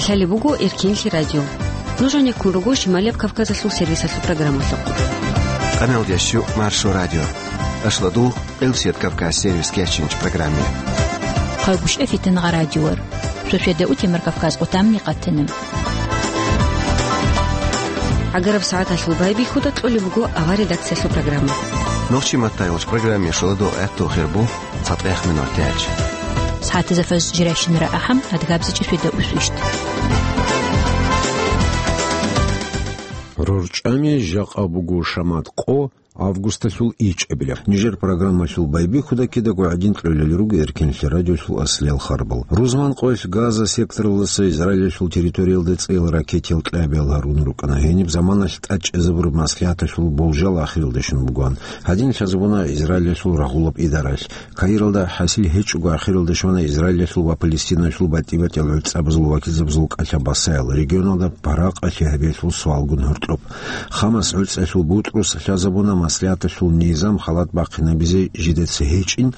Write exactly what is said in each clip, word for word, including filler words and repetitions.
Лъалеб буго Эркенлъи радио. Нуж гьанеккун руго Шималияб Кавказалъул сервисалъул программалъухъ. Къаналдящу Маршо радио. Ашладул Къилсият Кавказ сервис кечинч программе. Хъайгуща фитин гъа радиор. Шошеда утемар Кавказ къутамни къатана. Агараб сагӀаталъул байбихьуда кьолеб буго авар редакциялъул программа. Нохчи маттайолч программе шоладо гӀатту хирбу. ЦатӀех минутач. СагӀатазафаз жирайщинара ахӀам, адгабзичӀи шведа усвищт. РорчӀами жакъа буго шамат къо августалъул ичӀабила. Нижер программалъул байбихьуда кидаго гӀадин кьолел руго Эркенлъи радиолъул аслиял харбал. Рузман къоялъ Газа секторалдаса Израилалъул территориялда цӀеял ракетиял кьабиял гьарун рукӀана. Гьениб заманалъ тӀад чӀезабураб маслигӀаталъул болжал ахиралда щун бугоан. Гьадин лъазабуна Израилалъул рагъулаб идаралъ. Каиралда хӀасил гьечӀого ахиралда щвана Израилалъул ва Палестиналъул батӀи-батӀиял гӀуцӀабазул вакилзабазул кӀалъа басаял, регионалда паракъалъи гьабиялъул суалгун гьоркьоб. Хамас гӀуцӀалъул бутӀрус лъазабуна маслигӀаталъул низам халат бахъинабизе жидеца гьечӀин,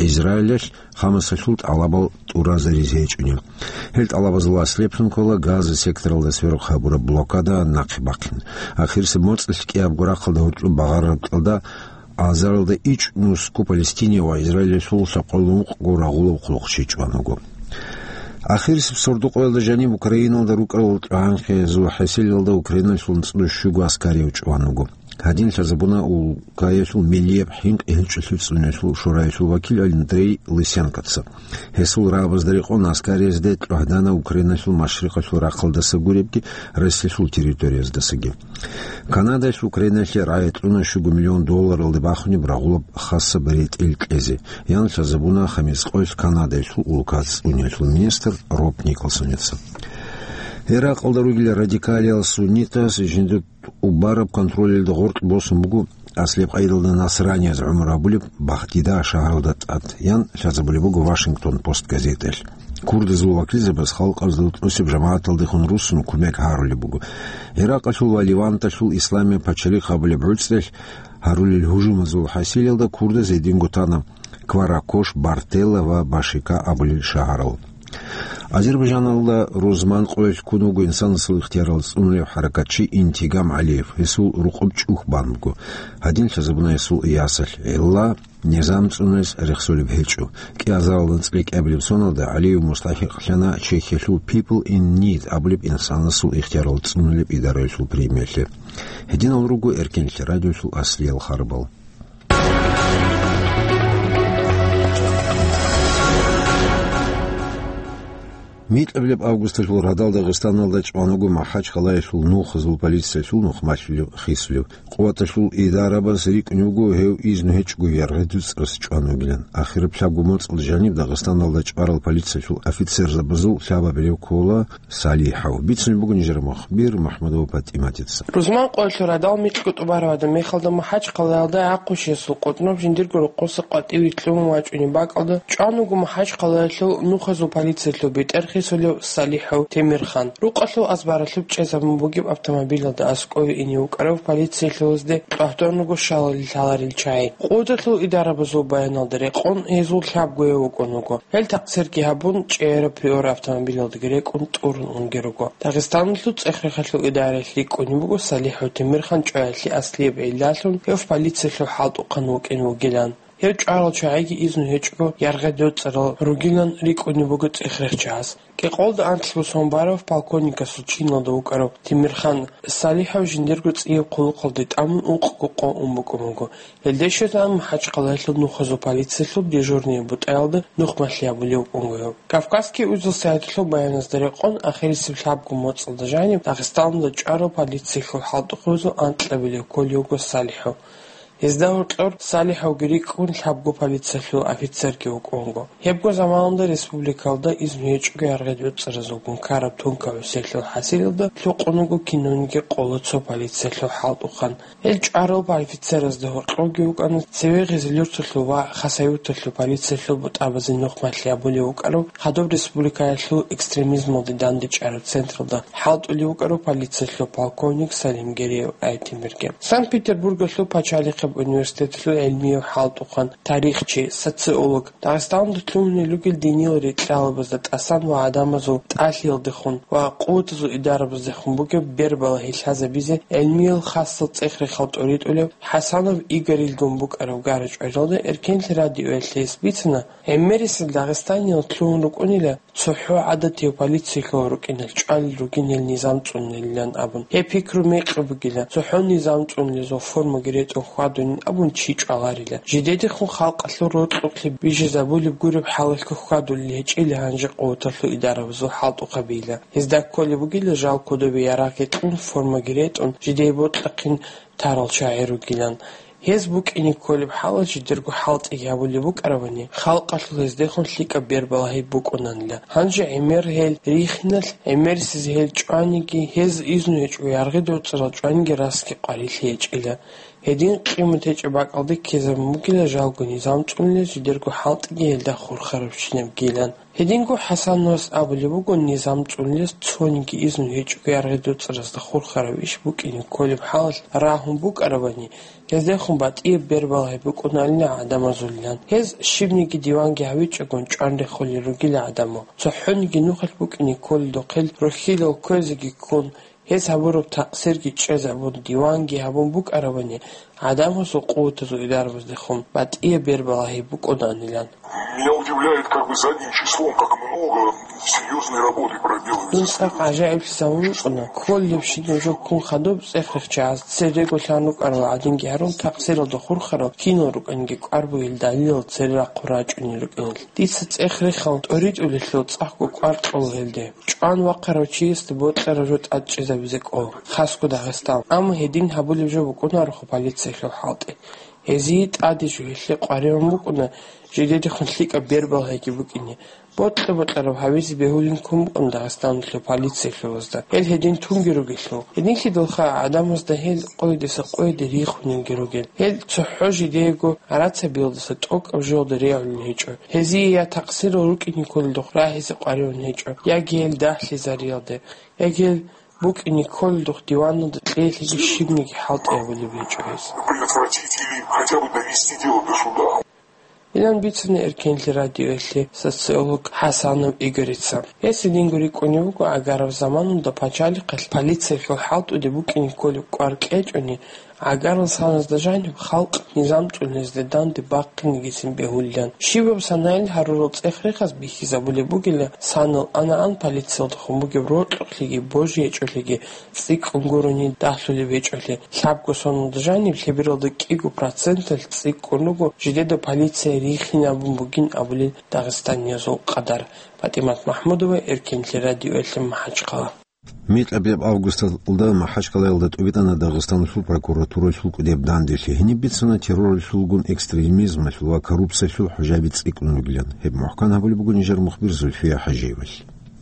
Израилалъ Хамасалъул тӀалабал тӀуразаризе гьечӀони. Гьел тӀалабазул аслеблъун ккола Газа секторалда сверухъ гьабураб блокада нахъе бахъин. Ахирисеб моцӀалъ кӀиябго рахъалда гьоркьоб багъараб кьалда азаралда ичӀ нусго Палестине ва Израилалъул лъабкъоялда ункъго рагъулав хъулухъчи чӀван вуго. Ахирисеб сордо-къоялда жаниб Украиналда рукӀарал тӀагӀанхъизул хӀеселалда Украиналъул цӀуд щуго аскарияв чӀван вуго. Гьадин лъазабуна улкаялъул миллияб хӀинкъи гьелчӀолъи цӀуниялъул шораялъул вакил Андрей Лысенкоца. Гьесул рагӀабазда рекъон аскариязде кьвагьдана Украиналъул машрикъалъул рахъалдаса гуребги, Россиялъул территорияздасаги. Канадалъ Украиналъе рагӀи кьуна щуго миллион долларалде бахунеб рагъулаб хасаб ретӀел кьезе. Ян лъазабуна хамис къоялъ Канадалъул улкаца цӀуниялъул министр Роб Николсонеца. Иракъалда ругел радикалиял суннитаз жиндир убараб контролалда гъоркь босун буго аслияб къайдалда насранияз гӀумру гьабулеб Бахдида шагьаралда тӀад, ян лъазабулеб буго Вашингтон Пост газеталъ. Курдазул вакилзабаз халкъазда тӀосеб жамагӀаталдехун руссун кумек гьарулеб буго. Иракъалъул ва Леванталъул исламияб пачалихъ гьабулеб гӀуцӀралъ гьарулел гьужумазул хӀасилалда курдаз гьединго тана Кваракош, Бартелла ва Башика абулел шагьарал. Азербайжаналда рузман къоялъ ккун вуго инсанасул ихтиярал цӀунулев хӀаракатчи Интигам ГӀалиев, гьесул рукъоб чӀухь бан буго. Гьадин лъазабуна гьесул ясалъ, гӀилла низам цӀунулес рехсолеб гьечӀо. КӀиазаралда анцӀила кӀиабилеб соналда ГӀалиев мустахӀикълъана Чехиялъул People in Need абулеб инсанасул ихтиярал цӀунулеб идараялъул премиялъе. Гьединал руго Эркенлъи радиолъул аслиял харбал. Микьабилеб августалъул радал Дагъистаналда чӀван вуго МахӀачхъалаялъул нухазул полициялъул нухмалъулев хисулев. Къуваталъул идарабаз рикӀкӀунев вуго гьев изну гьечӀого яргъи дуцӀарас чӀван вугилан. Ахираб лъабго моцӀалда жаниб Дагъистаналда чӀварал полициялъул офицерзабазул лъабабилев ккола СалихӀов. Бицунеб буго нижер мухбир МухӀамадова ПатӀиматица. Рузман къоялъул радал микьго тӀубараб гьадаб мехалда МахӀачхъалаялда гӀахъушиясул къотӀноб жиндирго рокъоса къватӀиве кьун вачӀунеб бакӀалда чӀван вуго МахӀачхъалаялъул нухазул полициялъул бетӀер хисулев СалихӀов Темирхан. Рукъалъул азбаралъуб чӀезабун бугеб автомобилалда аскӀове ине вукӀарав полициялъулазде тӀвагьдун руго щалалил лъаларел чагӀи. Къудалъул идарабазул баяналда рекъон, гьезул лъабгояв вукӀун вуго. Гьел такъсирги гьабун, чӀегӀераб Приора автомобилалдаги рекӀун тӀурун унги руго. Дагъистаналъул цӀех-рехалъул идараялъ рикӀкӀунеб буго СалихӀов Темирхан чӀваялъе аслияб гӀиллалъун гьев полициялъул хӀалтӀухъан вукӀин вугилан. Гьев чӀварал чагӀиги изну гьечӀого яргъи доцӀарал ругилан рикӀкӀунеб буго цӀех-рехчагьас. КӀикъоялда анкьго сон барав полковникасул чиналда вукӀарав Темирхан СалихӀов жиндирго цӀияб хъулухъалде тӀамун ункъго къо ун букӀун вуго. Гьелде щвезегӀан МахӀачхъалаялъул нухазул полициялъул дежурный бутӀаялда нухмалъи гьабулев вукӀун вуго гьев. Кавказский узел сайталъул баяназда рекъон, ахирисеб лъабго моцӀалда жаниб Дагъистаналда чӀварал полициялъул хӀалтӀухъабазул анкьабилев кколев вуго СалихӀов. Гьезда гьоркьор СалихӀовги рикӀкӀун лъабго полициялъул офицерги вукӀун вуго. Гьебго заманалда республикалда изну гьечӀого яргъи доцӀаразулгун ккараб тункаб гӀусиялъул хӀасилалда лъукъун вуго кинавниги къола цо полициялъул хӀалтӀухъан. Гьел чӀварал офицеразда гьоркьорги вукӀана цеве Гъизелюрталъул ва Хасавюрталъул полициялъул бутӀабазе нухмалъи гьабулев вукӀарав, хадуб республикаялъул экстремизмалде дандечӀараб централда хӀалтӀулев вукӀарав полициялъул полковник Салимгериев Айтемирги. Санкт-Петербургалъул пачалихъе университеталъул гӀилмияв хӀалтӀухъан, тарихчи, социолог, Дагъистаналда лъугьунел ругел диниял рикьалабазда тӀасан ва гӀадамазул тӀалъиялдехун ва къуватазул идараздехун бугеб бербалагьи лъазабизе гӀилмиял хасал цӀех-рехал тӀоритӀулев ХӀасанов Игорилгун букӀараб гара-чӀваралда Эркенлъи радиоялъ гьес бицана, гӀемерисел Дагъистаниялда лъугьун рукӀунила цохӀо гӀадатияв полициялъул рукӀиналъ чӀвалел ругин гьел низам цӀунулилан абун. Гьеб пикру мекъи бугила, цохӀо низам цӀунулезул формаги ретӀун хьвадунин абун чи чӀваларила. Жидедехун халкъалъул рокьукълъи бижизабулеб гуреб хӀалалъго хьвадулел гьечӀила гьанже къуваталъул идарабазул хӀалтӀухъабийила. Гьезда кколеб бугила жал кодобе ярагъги кьун, формаги ретӀун, жидее бокьахъин тарал чагӀи ругилан. Гьез букӀине кколеб хӀалалъ жидерго хӀалтӀиги гьабулеб букӀарабани, халкъалъул гьездехун лъикӀаб бербалагьи букӀунанила. Гьанже гӀемер гьел рихиналъ, гӀемерисез гьел чӀваниги, гьез изну гьечӀого яргъи доцӀарал чӀваниги расги къварилъи гьечӀила. Гьедин къимат гьечӀеб бакӀалде ккезабун бугила жалго низам цӀунулез жидерго хӀалтӀиги гьелда хурхарабщинабгилан. Гьединго ХӀасановас абулеб буго низам цӀунулез цониги изну гьечӀого яргъи доцӀаразда хурхараб иш букӀине кколеб хӀалалъ рагьун букӀарабани, гьездехун батӀияб бербалагьи букӀуналина гӀадамазулилан. Гьез щибниги диванги гьавичӀогун чӀван рехулел ругила гӀадамал. ЦохӀониги нухалъ букӀине кколелдухъел рохьилал кквезеги ккун, гьез гьабураб такъсирги чӀезабун, диванги гьабун букӀарабани, гӀадамазул къуватазул идарабаздехун батӀияб бербалагьи букӀунанилан. Меня удивляет, как бы задним числом, как много серьёзной работы проделали. Дун цӀакъ гӀажаиблъизавун вукӀуна, кколебщинаб жо ккун хадуб цӀех-рехчагӀаз церего лъан рукӀарал гӀадинги гьарун, такъсиралда хурхарал кинал рукӀанги кӀвар бугел далилал цере рахъун рачӀунел рукӀиналъ. Дица цӀех-рехал тӀоритӀулелъул цӀакъго кӀвар кьола гьелде. ЧӀван вахъарав чиясда бокьараб жо тӀадчӀезабизе кӀола, хасго Дагъистан. Амма гьедин гьабулеб жо букӀунарохъо полициялъул хӀалтӀи. Гьезие тӀаде жо гьелъие къваригӀун букӀуна, жидедехун лъикӀаб бербалагьиги букӀине. Бокьа-бокьараб гьавизе бегьулин ккун букӀун Дагъистаналъул полициялъулазда. Гьел гьедин тунги ругелъул. Гьединлъидалха гӀадамазда гьел къойидаса къойиде рихунинги ругел. Гьел цохӀо жидеего гӀарацабиялдаса тӀокӀаб жоялда регӀулел гьечӀо. Гьезие я такъсирал рукӀине кколелдухъ рагьизе къваригӀун гьечӀо, яги гьел дагьлъизариялде, яги гьел букӀине кколелдухъ диваналда кьеялъеги щибниги хӀалтӀи гьабулеб гьечӀо гьез. Предотвратить или хотя бы довести дело до суда. Илан бицана Эркенлъи радиоялъе социолог ХӀасанов Игорица. Гьес гьединго рикӀкӀунев вуго, агьараб заманалда пачалихъалъ полициялъул хӀалтӀуде букӀине кколеб кӀвар кьечӀони, агьарал саназда жаниб халкъ низам цӀунулезда данде бахъинегицин бегьулилан. Щибаб санайил гьарурал цӀех-рехаз бихьизабулеб бугила, санал ана-ан полициялдехун бугеб рокьукълъиги божи гьечӀолъиги цӀикӀкӀун гурони дагьлъулеб гьечӀолъи, лъабго соналда жаниб лъебералда кӀиго проценталъ цӀикӀкӀун руго жидеда полиция рихинабун бугин абулел дагъистаниязул къадар. ПатӀимат МахӀмудова, Эркенлъи радиоялъе, МахӀачхъала. Микьабияб августалда МахӀачкъалаялда тӀубитӀана Дагъистаналъул прокуратуралъул кӀудияб данделъи. Гьениб бицана терроралъулгун, экстремизмалъул ва коррупциялъул хӀужаби цӀикӀкӀун ругилан. Гьеб мухӀкан гьабулеб буго нижер мухбир Зульфия ХӀажиевалъ.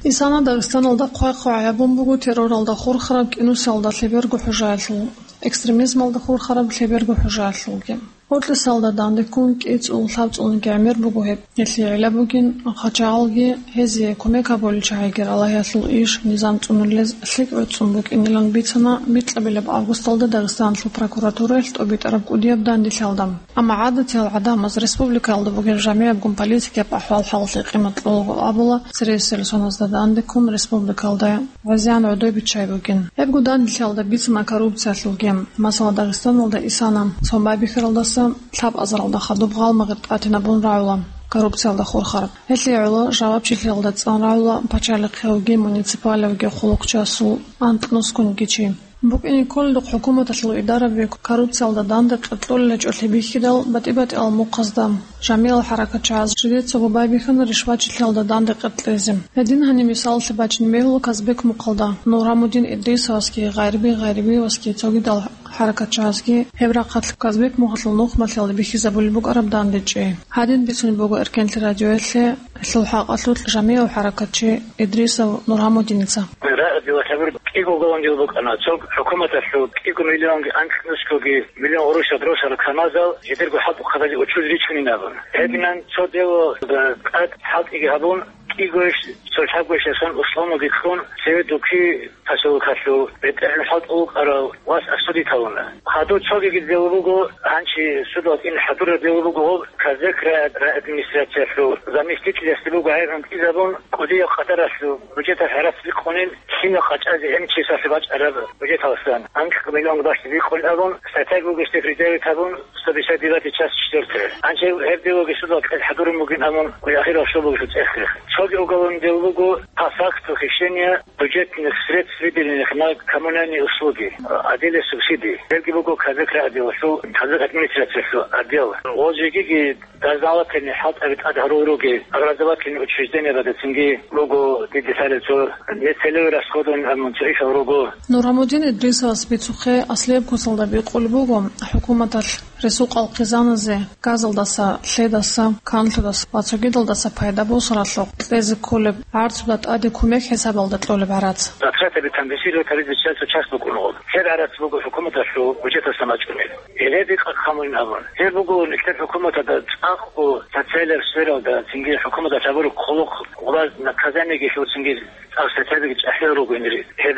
Исана Дагъистаналда хъвай-хъвай гьабун буго терроралда хурхараб кӀинусиялда лъеберго хӀужаялъул, экстремизмалда хурхараб лъеберго хӀужаялъулги. Гьоркьисалда данде ккун кӀицӀул-лъабцӀулниги гӀемер буго гьеб. Гьелъие гӀилла бугин, хъачагъалги, гьезие кумек гьабулел чагӀиги, Аллагьасул иш, низам цӀунулез лъикӀ гӀуцӀун букӀинилан бицана микьабилеб августалда Дагъистаналъул прокуратураялъ тӀубитӀараб кӀудияб данделъиялда. Амма гӀадатиял гӀадамаз республикаялда бугеб жамигӀабгун политикияб ахӀвал-хӀалалъе къимат кьолаго абула, цересел соназда данде ккун республикаялда гӀезегӀан гӀодой биччай бугин. Гьебго данделъиялда бицана коррупциялъулги. Масала, Дагъистаналда исана цо байбихьаралдаса лъабазаралда хадуб гъалмагъир тӀатинабун рагӀула коррупциялда хурхараб. Гьелъие гӀоло жавабчилъиялда цӀан рагӀула пачалихъиявги муниципалиявги хъулухъчиясул анкьнускунги чи. БукӀине кколелдухъ хӀукуматалъул идараби коррупциялда данде кьикьулел гьечӀолъи бихьидал, батӀи-батӀиял мухъазда жамигӀал хӀаракатчагӀаз жидецаго байбихьана ришвачилъиялда данде кьикьизе. Гьедин гьаниб мисалалъе бачине бегьула Казбек мухъалда Нурамудин Идрисовасги, Гъайриби Гъайрибиевасги цогидал хӀаракатчагӀазги гьеб рахъалъ Казбек мухъалъул нухмалъиялда бихьизабулеб букӀараб дандечӀи. Гьадин бицунеб буго Эркенлъи радиоялъе гьелъул хӀакъалъулъ жамигӀав хӀаракатчи Идрисов Нургьамудиница. Рагъаби ва хабар кӀиго уголовный дел букӀана. Цо хӀукуматалъул кӀиго миллионги анкьнускоги миллион гъурущ росараб КамАЗал жидерго хӀалтӀухъабазе учуз ричунин абун. Гьединан цо дело тӀад хӀалтӀиги гьабун, кӀигойищ, цо лъабгойищ ясан условноги кьун, цеве Дуки поселокалъул бетӀергьан хӀалтӀулукъарав вас осудить гьавуна. Гьадур цогиги дел буго, гьанчи судалъ ин хӀадураб дел буго гьоб Казбек рай-, райадминистрациялъул заместителясде буго гӀайгӀун кьизабун, кӀудияб къадаралъул бюджеталъ гӀарац рикъунин, лъимал къачӀазе гьениб чиясалъе бачӀараб бюджеталдасан анкьго миллион бахчизе рикъун абун, статьяги буго гьесде предъявить гьабун, сто пятьдесят девятая часть четвёртая. Гьанже гьеб дев буго судалъ кьел хӀадурун бугин абун, ахирал щол буго цӀехги. Цоги уголовный дел буго по факту хищения бюджетных средств, выделенных на коммунальные услуги, отделе субсидий. Гьебги буго Казбек райотделалъул, Казбек администрациялъул отдел. Гъоз жегиги дознавательный хӀалтӀаби тӀад гьарул ругел, образовательный учреждениябазда цинги руго дидисарел цо, нецелеве расходован гьабун цо ишал руго. Нургьамудин Идрисовас бицухъе аслияб куцалда бикъулеб буго хӀукуматалъ ресурс къалъ хъизаназе газалдаса, лъедаса, канлъудаса ва цогидалдаса пайда босаралъухъ кьезе кколеб гӀарцуда тӀаде кумек хӀисабалда кьолеб гӀарац. Затратаби компенсировать гьабизе чиясул часть букӀун гьоб. Гьеб гӀарац буго хӀукуматалъул бюджеталдаса бачӀунеб. Гьеле декъа хъамулин абун. Гьеб буго нилъер хӀукуматалда цӀакъго социалияб сфералда, цинги хӀукуматалъ гьабураб хъулухъ, гъулаз наказаниеги лъуцинги цӀакъ статьябиги чӀахӀиял руго гьенир, гьеб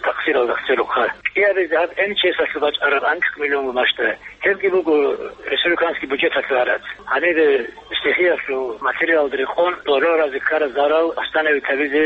такъсиралда церухъа. КӀиабизе гьаб МЧС-алъул бачӀараб анкьго миллион бумажда, гьебги буго республиканский бюджеталъул гӀарац. Гьанибе стихиялъул материалда рекъон дороразе ккараб зарал восстановить гьабизе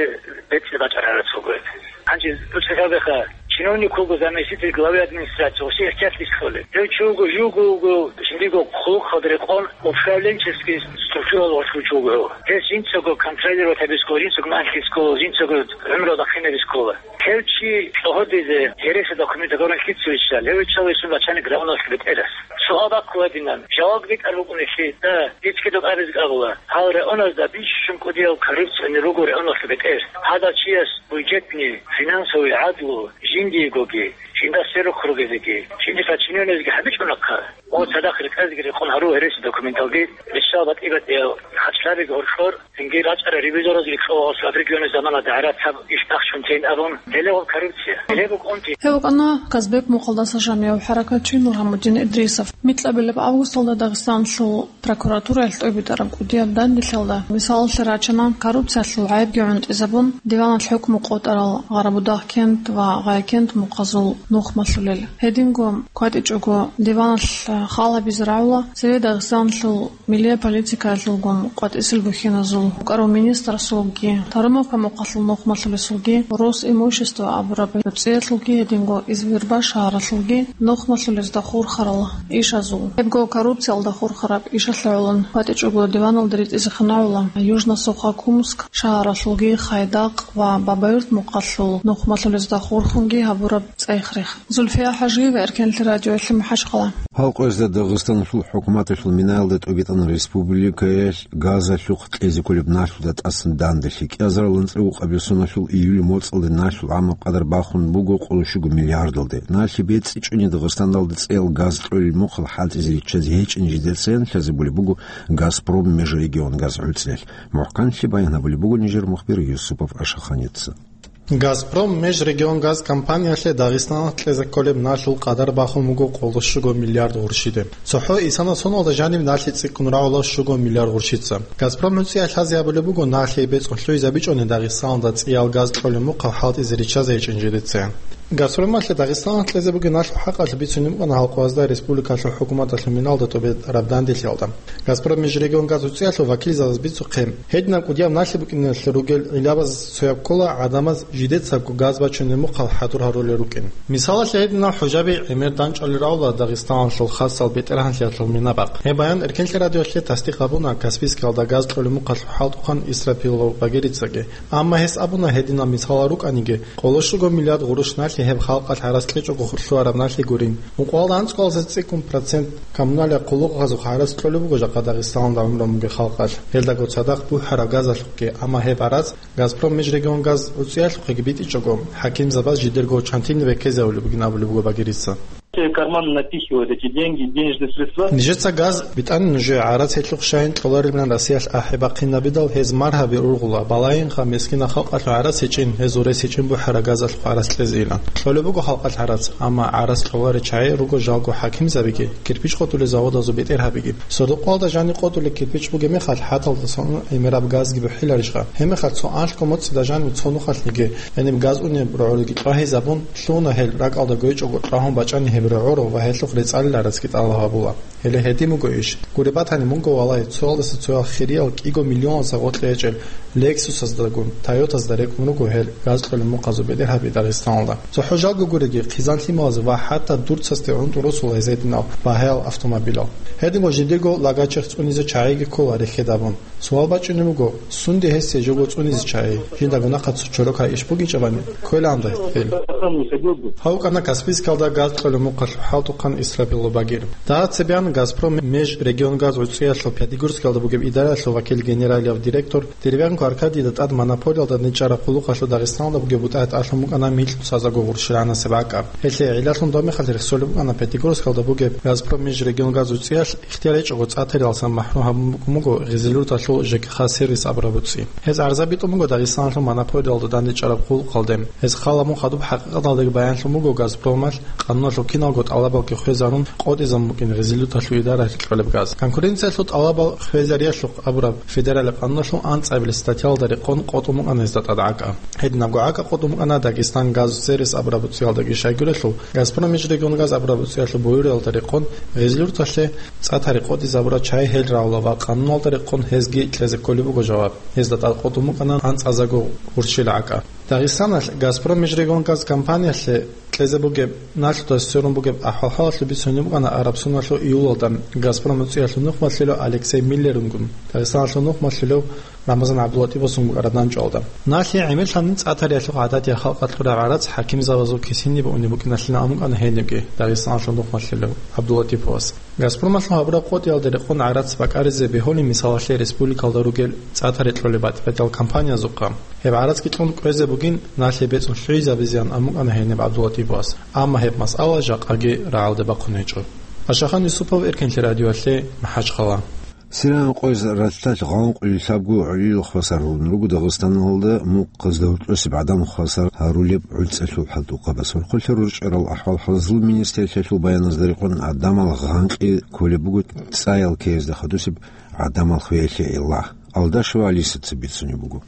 бецӀи бачӀараб гӀарац буго гьеб. Гьанже дуца хьвадеха, чиновник вуго заместитель главы администрации, гъосе ихтияр кьолеб. Гьев чи вуго, живго вуго, жиндиего хъулухъалда рекъон управленческий структуралда гъорлъ чи вуго гьев. Гьес жинцаго контролировать гьабизе ккола, жинцаго манлъизе ккола, жинцаго гӀумру бахъинабизе ккола. Гьев чи лъугьине гьереси документ гьабурав лъица виччал, гьев виччал гьесул начальник районалъул бетӀерас. Суал бахъулеб гьадинан, жаваб битӀараб букӀунелъул, да, гьечӀеб абизе абула. Гьал районалда бищун кӀудиял коррупционер руго районалъул бетӀер. Гьадав чияс бюджетный, финансовый гӀадлу жиндиегоги, жинда сверухъ ругезеги, жиндир подчинённыйзеги гьабичӀунахъа. О, цадахъ рекъезеги рекъон гьару гьереси документалги, риччал батӀи-батӀиял хачлъабиги гьоркьор, цинги рачӀарал ревизоразеги кьо, гъосул регионалъул заманалда гӀарац гьаб иш бахчун тейин абун, гьеле гъоб коррупция. Гьеле букӀунти. Гьев вукӀана Казбек мухъалдаса жанив хӀаракатчи Нургьамудин Идрисов. Микьабилеб августалда Дагъистаналъул прокуратураялъ тӀобитӀараб кӀудияб данделъиялда мисалалъе рачана коррупциялъул гӀайибги гӀунтӀизабун, диваналъ хӀукму къотӀарал Гъарабудагъкент ва Гъайкент мухъазул нухмалъулел. Гьединго кватӀичӀого диваналъ хал гьабизе рагӀула цеве Дагъистаналъул милияб политикаялъулгун къватӀисел бухьиназул, вукӀарав министрасулги, Тарумовка мухъалъул нухмалъулесулги, Росимущество абураб вебцӀиялъулги гьединго Извирба шагьаралъулги нухмалъулезда хурхарал ишазул. Гьебго коррупциялда хурхараб ишалъе гӀолон кватӀичӀого диваналда ритӀизехъин рагӀула Южно-Сухокумск шагьаралъулги, Хайдакъ ва Бабаюрт мухъалъул нухмалъулезда хурхунги гьабураб цӀех-рех. Зульфия ХӀажиева, Эркенлъи радиоялъе, МахӀачхъала. Гьал къоязда Дагъистаналъул хӀукуматалъул минаялда тӀубитӀана республикаялъ газалъухъ кьезе кколеб налъуда тӀасан данделъи. КӀиазарал анцӀила укъабил соналъул июль моцӀалде налъул гӀамаб къадар бахун буго къоло щуго миллиардалде. Налъи бецӀичӀони Дагъистаналда цӀиял газ кьолел мухъал хӀалтӀизе риччазе гьечӀин жидецаянлъазабулеб буго «Газпром межрегионгаз» гӀуцӀиялъ. МухӀканлъи баян гьабулеб буго нижер мухбир Юсупов Ашаханица. «Газпром межрегионгаз» компаниялъе Дагъистаналъ кьезе кколеб налъул къадар бахун буго къоло щуго миллиард гъурщиде. ЦохӀо исана соналда жаниб налъи цӀикӀкӀун рагӀула щуго миллиард гъурщица. «Газпром» гӀуцӀиялъ лъазе гьабулеб буго налъи бецӀун лъугьизабичӀони Дагъистаналда цӀиял газ кьолеб мухъал хӀалтӀизе риччазе гьечӀин жидецаан. «Газпромалъе» Дагъистаналъ кьезе бугеб налъул хӀакъалъулъ бицунеб букӀана гьал къоязда республикалъул хӀукуматалъул миналда тӀубитӀараб данделъиялда. «Газпром межрегионгаз» гӀуцӀиялъул вакилзабаз бицухъе, гьединаб кӀудияб налъи букӀиналъе ругел гӀиллабаз цояб ккола гӀадамаз жидецабго газ бачунеб мухъал хӀадур гьарулел рукӀин. Мисалалъе, гьединал хӀужаби гӀемер дандчӀвалел рагӀула Дагъистаналъул хасал бетӀергьанлъиялъул минабахъ. Гьеб баян Эркенлъи радиоялъе тасдикъ гьабуна Каспийскиялда газ кьолеб мухъалъухъ хӀалтӀухъан Исрапилов Багерицаги. Амма гьес абуна, гьединал мисалал рукӀаниги, къоло щуго миллиард гъурущ налъи гьеб халкъалъ гӀарац кьечӀого лъугьараб налъи гурин. Ункъоялда анцӀкъоялдаса цӀикӀкӀун процент коммунальный хъулухъазухъ гӀарац кьолеб буго жакъа Дагъистаналда гӀумру бугеб халкъалъ, гьелдаго цадахъ бухӀараб газалъухъги, амма гьеб гӀарац «Газпром межрегионгаз» гӀуцӀиялъухъеги битӀичӀого, хӀакимзабаз жидерго чантине беккезавулеб бугин абулеб буго Багерица. Карман напихивают эти деньги, денежные средства. Нижеца газ битӀани нужее гӀарац гьелъухъ щайин кьоларилан Россиялъ ахӀи бахъинабидал гьез маргьаби ургъула, балагьинха мискина халкъалъул гӀарац гьечӀин, гьез урес гьечӀин бухӀара газалъухъ гӀарац кьезе илан. Кьолеб буго халкъалъ гӀарац, амма гӀарац кьоларел чагӀи руго жалго хӀакимзабиги, кирпич къотӀулел заводазул бетӀергьабиги. Сордокъоялда жани къотӀулел кирпич бугеб мехалъ хӀаталдасан ун гӀемераб газги бухӀиларищха? Гьеб мехалъ цо анлъго моцӀида жани цо нухалъниги, гьениб газ унеб рогӀолги кьвагьизабун, лъугьуна гьел, ракӀалда гойчӀого кьвагьун бачӀани гьеб рогӀоро ва гьелъухъ рецӀалил гӀарацги тӀалаб гьабула. Гьеле гьедин буго иш. Гуреб батани мунго, валлагь, цоялдаса цоял хирияб кӀиго миллионал гъоркье гьечӀел Lexus-аздагун, Toyota-зда рекӀун руго гьел газ кьолеб мухъазул бетӀергьаби Дагъистаналда. ЦохӀо жалго гуреги, хъизан лъималазе ва хӀатта дурцасде гӀунтӀу росула гьез гьединал багьаял автомобилал. Гьединго жидего лагачихъ цӀунизе чагӀиги ккола рехьед абун. Суал бачӀунеб буго, сунде гьесие жого цӀунизе чагӀи? Жиндаго нахъа цо чорокай иш бугичӀебани, кколаан дагье. Гьав вукӀана Каспийскалда газ кьолеб мухъалъул хӀалтӀухъан Исрапилов Багир. Дагьа цебеян «Газпром межрегионгаз» гӀуцӀиялъул Пятигорскалда бугеб идараялъул вакил генералияб директор Деревянко Аркадийда тӀад монополиялда дандечӀараб къуллукъалъул Дагъистаналда бугеб бутӀа гьетӀалъун букӀана микьнусазаго гъурщилгӀанасеб гӀакӀа. Гьелъие гӀиллалъун доб мехалъ рехсолеб букӀана Пятигорскалда бугеб «Газпром межрегионгаз» гӀуцӀиялъ ихтияр гьечӀого цӀатарилалсан махӀрум гьабун букӀун буго Гъизилурталъул ЖКХ-сервис абураб гӀуцӀи. Гьез гӀарза битӀун буго Дагъистаналъул монополиялда дандечӀараб къуллъухъалде. Гьез хал гьабун хадуб хӀакъикъаталдаги баянлъун буго «Газпромалъ» къануналъул киналго тӀалабалги хвезарун къотӀизабун букӀин Гъизилурталъул идараялъе кьолеб газ. Конкуренциялъул тӀалабал хвезариялъухъ абураб федералияб къануналъул анцӀабилеб статьялда рекъон къотӀун букӀана гьезда тӀад гӀакӀа. Гьединабго гӀакӀа къотӀун букӀана «Дагестангазсервис» абураб гӀуцӀиялдаги. Щайгурелъул, «Газпром межрегионгаз» абураб гӀуцӀиялъул буюриялда рекъон Гъизилурталъе цӀатари къотӀизабурал чагӀи гьел рагӀула ва къануналда рекъон гьезги кьезе кколеб буго жаваб. Гьезда тӀад къотӀун букӀана анцӀазаго гъурщил гӀакӀа. Дагъистаналъ «Газпром межрегионгаз» компаниялъе кьезе бугеб, налъудаса сверун бугеб ахӀвал-хӀалалъул бицунеб букӀана араб соналъул июлалда «Газпром» гӀуцӀиялъул нухмалъулев Алексей Миллерунгун, Дагъистаналъул нухмалъулев Рамазан ГӀабдулатӀиповасунгун арадачӀвалда. Налъи гӀемерлъанин цӀатариялъухъ гӀададияб халкъалъул рагӀарац хӀакимзабазул кисине бугеб букӀиналъин абун букӀана гьенибги Дагъистаналъул нухмалъулев ГӀабдулатӀиповас. «Газпромалъул» гьабураб къотӀиялда рекъон гӀарац бакӀаризе бегьулин, мисалалъе, республикалда ругел цӀатари кьолеб батӀи-батӀиял компаниязухъа. Гьеб гӀарацги кьун кӀвезе бугин, налъи бецӀун лъугӀизабизеян абун букӀана гьениб ГӀабдулатӀиповас. Амма гьеб масъала жакъаги рагӀалде бахъун гьечӀо. Ашахан Юсупов, Эркенлъи радиоялъе, МахӀачхъала. Сириян къояз ралъдалъ гъанкъулел лъабго гӀолилал хвасар гьарун руго Дагъистаналда мукъазда гьоркьосеб гӀадамал хвасар гьарулеб гӀуцӀалъул хӀалтӀухъабаз. Хурхулъа рорчӀарал ахӀвал-хӀалазул министрлъиялъул баяназда рекъон, гӀадамал гъанкъи кколеб буго цӀаял ккеязда хадусеб гӀадамал хвеялъе гӀилла. Алдашева Алисаца бицунеб буго.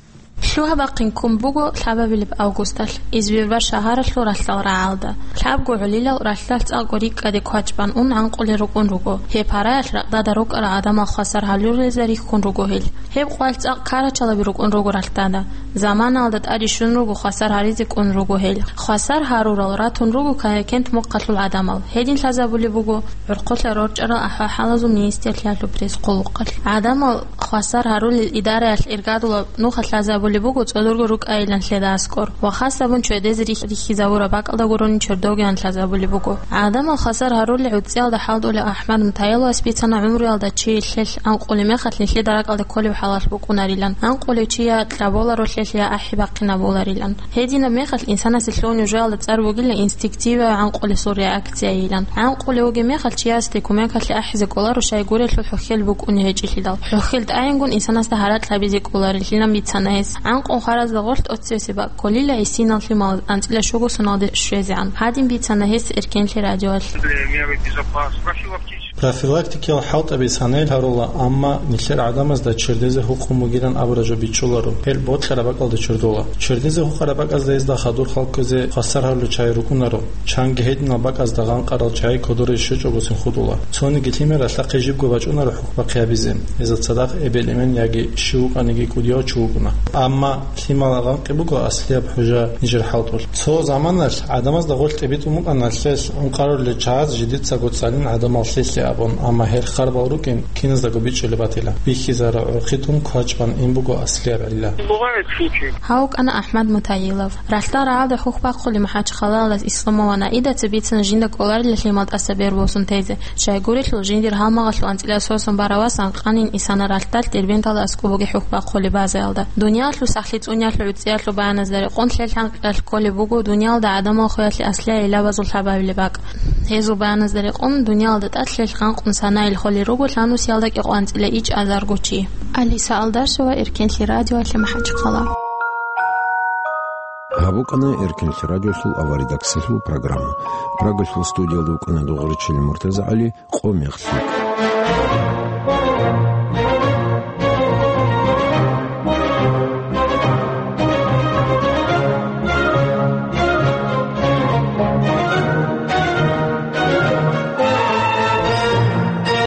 Лъугьа-бахъин ккун буго лъабабилеб августалъ Избербаш шагьаралъул ралъдал рагӀалда. Лъабго гӀолилал ралъдалъ цӀакъго рикӀкӀаде квачӀбан ун гӀанкъулел рукӀун руго. Гьеб гьаралъ ракьдада рукӀарал гӀадамал хвасар гьарулелда рихьун руго гьел. Гьеб къвалъ цӀакъ карачалаби рукӀун руго ралъдада. Заманалда тӀаде щун руго, хвасар гьаризе кӀун руго гьел. Хвасар гьарурал ратун руго Каякент мухъалъул гӀадамал. Гьедин лъазабулеб буго ХӀурхъулъа рорчӀарал ахӀвал-хӀалазул министрлъиялъул пресс-къуллукъалъ. ГӀадамал хвасар гьарулел идараялъ иргадула нуха лъазабулеб буго цӀодорго рукӀайилан лъеда аскӀор ва хасабун чедезе рихь-, рихьизавураб бакӀалда гурони чердогиян лъазабулеб буго. ГӀадамал хвасар гьарулел гӀуцӀиялда хӀалтӀулев АхӀмад Мутаиловас бицана гӀумруялда чи лъелъ анкъулеб мехалъ нилъеда ракӀалде кколеб хӀалалъ букӀунарилан, анкъулев чи я кьаболаро лъелъ, я ахӀи бахъинабуларилан. Гьединаб мехалъ инсанасе лъугьунеб жоялда цӀар бугила инстинктивияб гӀанкъулесул реакцияйилан. ГӀанкъулев вугеб мехалъ чиясде кумекалъе ахӀизе кӀоларо, щайгурелъул хӀухьел букӀуней гьечӀелъидал. ХӀухьел тӀагӀингун инсанасда гьаракь гьабизе кӀоларилан бицана гьес. ГӀанкъун хваразда гъорлъ тӀоцебесеб бакӀ кколила гӀисинал лъимал анцӀила щуго соналде щвезегӀан. Гьадин бицана гьес Эркенлъи радиоялъ. Для меры безопасности. Профилактикиял хӀалтӀаби санайл гьарула, амма нилъер гӀадамазда чердезе гьукъун бугилан абураб жо бичӀчӀуларо. Гьел бокьараб бакӀалда чердола. Чердезе гьукъараб бакӀазда гьезда хадур халкъизе хвасар гьарулел чагӀи рукӀунаро. Чанги гьединал бакӀазда гъанкъарал чагӀи кодоре щвечӀого цинхъ хутӀула. Цониги лъимер ралъдахъе жибго бачӀунаро хӀукму бахъизе. Гьезда цадахъ эбел-эмен яги щив вукӀаниги кӀудияв чи вукӀуна. Амма лъимал гъанкъи буго аслияб хӀужа нижер хӀалтӀулъ. Цо заманалъ гӀадамазда гъорлъ тӀибитӀун букӀана лъелъ ункъарулел чагӀаз жидецаго цӀалин гӀадамал лъелъе Амма гьел харбал рукӀин киназдаго бичӀчӀулеб батила. Бихьизара гӀурхъи тун квачӀ бан ин буго аслияб гӀилла. Гьав вукӀана АхӀмад Мутаилов. Ралъдал рагӀалда хӀухь бахъулев МахӀачхъалаялдаса Исламован Аидаца бицана жинда кӀоларила лъимал тӀаса бер босун тезе. Щайгурелъул, жиндир гьалмагъалъул анцӀила сосун барав васан къанин исана ралъдалъ Дербенталда аскӀоб бугеб хӀухь бахъулеб базаялда. Дуниялалъул сахлъи цӀуниялъул гӀуцӀиялъул баяназда рекъон лъел хӀанкъиялъ кколеб буго дуниялалда гӀадамал хвеялъе аслияб гӀилла базул лъабабилеб бакӀ. Гьезул баяназда рекъон, дуниялалда тӀад лъел ханкъун санаил холел руго лъанусиялда кӀикъоанцӀила ичӀазарго чи. Алиса Алдашева, Эркенлъи радиоялъе МахӀачхъала. Гьаб букӀана Эркенлъи радиосул аваридаксалъул программа. Прагалъул студиялда вукӀана Дугъричилин МуртазагӀали, къо мехлъи.